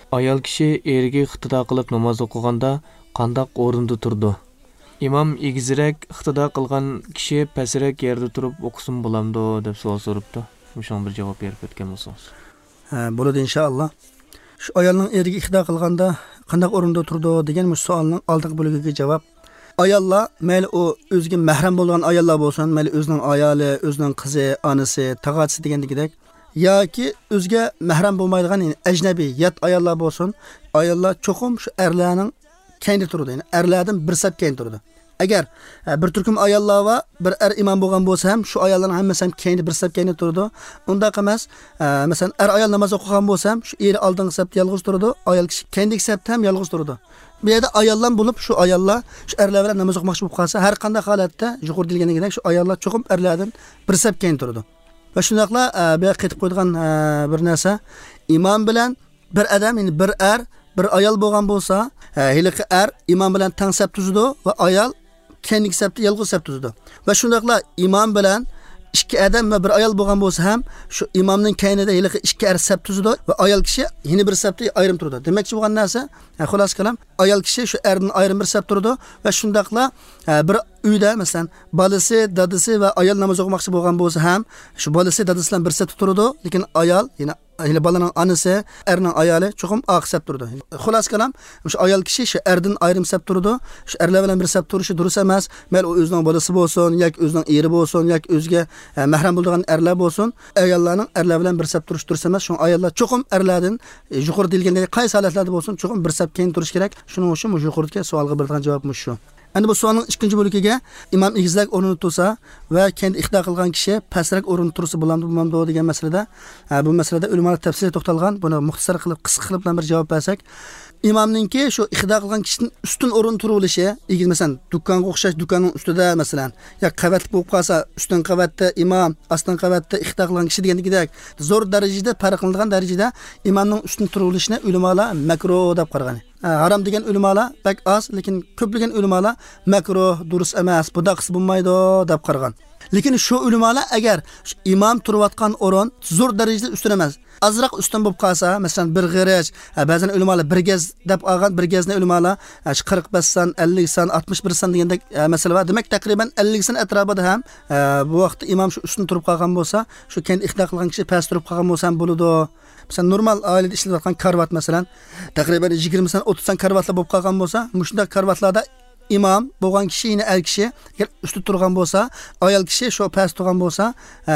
Ayol kishi eriga iqtido qilib namoz o'qiganda qandoq o'rinda turdi? İmam egizroq, iqtido qilgan kishi pastroq yerda turib o'qisin bo'lamdi deb savol so'rabdi. Shunga bir javob berib o'tgan bo'lsangiz. Ha, bo'ladi inshaalloh. Shu ayolning eriga iqtido qilganda qandoq o'rinda turdi degan bu savolning oldingi bo'ligiga javob. Ayollar, mayli u o'ziga mahram bo'lgan ayollar bo'lsin, mayli o'zining ayoli, o'zining qizi, onasi, tog'asi degandagidek, yoki o'ziga mahram bo'lmaydigan, ya'ni ajnabiy, yot ayollar bo'lsin, ayollar cho'qim shu erlarning kendi turadi, ya'ni erlardan bir saf keyin turadi. Agar bir turkum ayollar va bir er imom bo'lgan bo'lsa ham, shu ayollarning hammasi ham kendi bir saf keyin turadi. Undaq emas, masalan, er ayol namoz o'qigan bo'lsa ham, shu eri oldingi safda yolg'iz turadi, ayol kishi kendiki safda ham yolg'iz turadi. Bu yerda ayollar bo'lib, shu ayollar shu erlar bilan namoz o'qimoqchi bo'lib qolsa, har qanday holatda yuqorida deyilganidek shu ayollar cho'qim erlardan bir saf keyin turadi. Va shundaqla bu yerga qaytib qo'ydigan bir narsa, imom bilan bir odam, ya'ni bir er, bir ayol bo'lgan bo'lsa, heliqi er imom bilan tang saf tuzadi va ayol kendiki safda yolg'iz saf tuzadi. Va shundaqla imom bilan ikki odam va bir ayol bo'lgan bo'lsa ham, shu imomning keynida heliqi ikki er saf tuzadi va ayol kishi yana bir safda ayrim turadi. Demakchi bo'lgan narsa, xulosa kalam, ayol kishi shu erdan ayrim bir saf turadi va shundaqla bir uyda masalan bolasi, dadasi va ayol namoz o'qimoqchi bo'lgan bo'lsa ham, shu bolasi dadasi bilan bir safda turadi, lekin ayol, ya'ni hali bolaning onasi, erning ayoli cho'qim oq saf turadi. Xulosa kalam, shu ayol kishi shu erdan ayrim saf turadi. Shu erlar bilan bir saf turishi durust emas. Mayli u o'zining bolasi bo'lsin, yoki o'zining eri bo'lsin, yoki o'ziga mahram bo'lgan erlar bo'lsin, ayollarning erlar bilan bir saf turishi durust emas. Shuning ayollar cho'qim erlardan yuqori deyilgandek qaysi holatlarda bo'lsin, cho'qim bir saf keyin turish kerak. Shuning uchun bu yuqoridagi savolga berilgan javob shu. Endi bu savolning ikkinchi bo'ligiga imom egizak o'rnini tursa va kendi iqtido qilgan kishi pastroq o'rinda tursa bo'lamdi, bo'lmamdi degan masalada, bu masalada ulamolar tafsiliy to'xtalgan. Buni muxtasar qilib, qisqa qilib bir javob bersak, imomninki shu iqtido qilgan kishining ustun o'rin turilishi, egiz masalan do'konga o'xshash do'konning ustida masalan, yo qavatli bo'lib qolsa, ustun qavatda imom, ostin qavatda iqtido qilgan kishi degandagidek zo'r darajada farqlanadigan darajada imomning ustun turilishini ulamolar makruh deb qaragan. Harom degan ulamolar bak oz, lekin ko'plagan ulamolar makruh, durust emas, bunda qilsa bo'lmaydi deb qaragan. Lekin shu ulamolar agar imom turayotgan o'rin zo'r darajada ustun emas, azroq ustun bo'lib qolsa, masalan bir g'irich, ba'zan ulamolar bir gaz deb olgan, bir gazni ulamolar shu 45 son, 50 son, 61 son degandek masala bor. Demak, taqriban 50 son atrofida ham bu vaqtda imom shu ustun turib qolgan bo'lsa, shu kendi iqtido qilgan kishi past turib qolgan bo'lsa ham bo'ladi. Masalan, normal oilada ishlayotgan karvat masalan, taqriban 20 son, 30 son karvatlar bo'lib qolgan bo'lsa, mushunda karvatlarda imom bo'lgan kishi, yana er kishi agar ustida turgan bo'lsa, ayol kishi shu past turgan bo'lsa,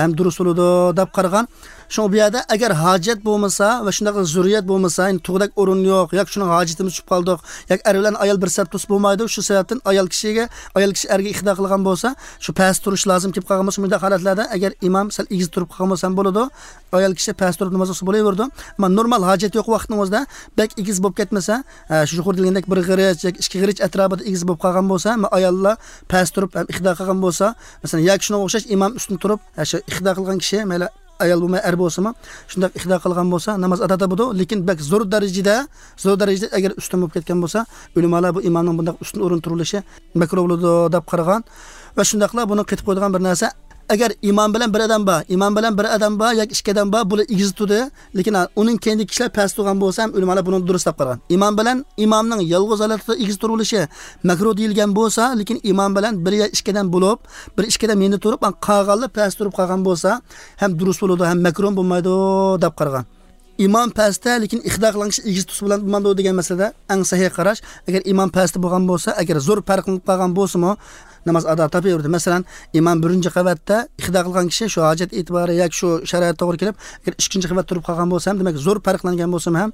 ham durust bo'ladi deb qaragan. Shu bu yerda agar hojat bo'lmasa va shunday zurriyat bo'lmasa, ya'ni tug'dak o'rin yo'q, yoki shuning hojatimiz tushib qoldik, yoki er bilan ayol bir saf tursa bo'lmaydi, shu sababdan ayol kishiga, ayol kishi erga iqtido qilgan bo'lsa, shu past turish lozim kelib qolgan bo'lsa, bunday holatlarda agar imom sal egiz turib qolgan bo'lsa ham bo'ladi, ayol kishi past turib namoz o'qisa bo'laveradi. Ammo normal hojat yo'q vaqtning o'zida bak egiz bo'lib ketmasa, shu yuqorida degandek bir g'irich yoki ikki g'irich atrofida egiz bo'lib qolgan bo'lsa, ammo ayollar past turib ham iqtido qilgan bo'lsa, masalan, yoki shunga o'xshash imom ustun turib, shu iqtido qilgan kishi mayli ayol bo'lmay er bo'lsimi, shunday iqtido qilgan bo'lsa namoz ado bo'ladi, lekin bak zo'r darajada agar ustun bo'lib ketgan bo'lsa, ulamolar bu imomning bunday ustun o'rin turilishi makruh bo'ladi deb qaragan. Va shundaqla buni qaytib qo'ydigan bir narsa, agar imom bilan bir odam bor, imom bilan bir odam bor yoki ikki odam bor, bular egiz turdi, lekin uning kendi kishilar past turgan bo'lsa ham ulamolar buni durust deb qaragan. Imom bilan imomning yolg'iz holatda egiz turilishi makruh deyilgan bo'lsa, lekin imom bilan bir yo ikki odam bo'lib, bir ikki odam endi turib, qolganlar past turib qolgan bo'lsa ham durust bo'ladi, ham makruh bo'lmaydi deb qaragan. İmom pastda, lekin iqtido qilgan kishi egiz tursa bilan bo'lmaydi degan masalada eng sahih qarash, agar imom pastda bo'lgan bo'lsa, agar zo'r farqlanib qolgan bo'lsa-mu, namoz ado topaverdi. Masalan, imom birinchi qavatda iqtido qilgan kishi shu hojat e'tibori yoki shu sharoit to'g'ri kelib, agar ikkinchi qavat turib qolgan bo'lsa ham, demak zo'r farqlangan bo'lsa ham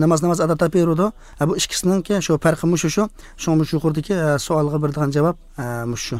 namoz ado topaverdi. Bu ikkisiningki shu farqi mushu shu. Shu yuqoridagi savolga berilgan javob mushu.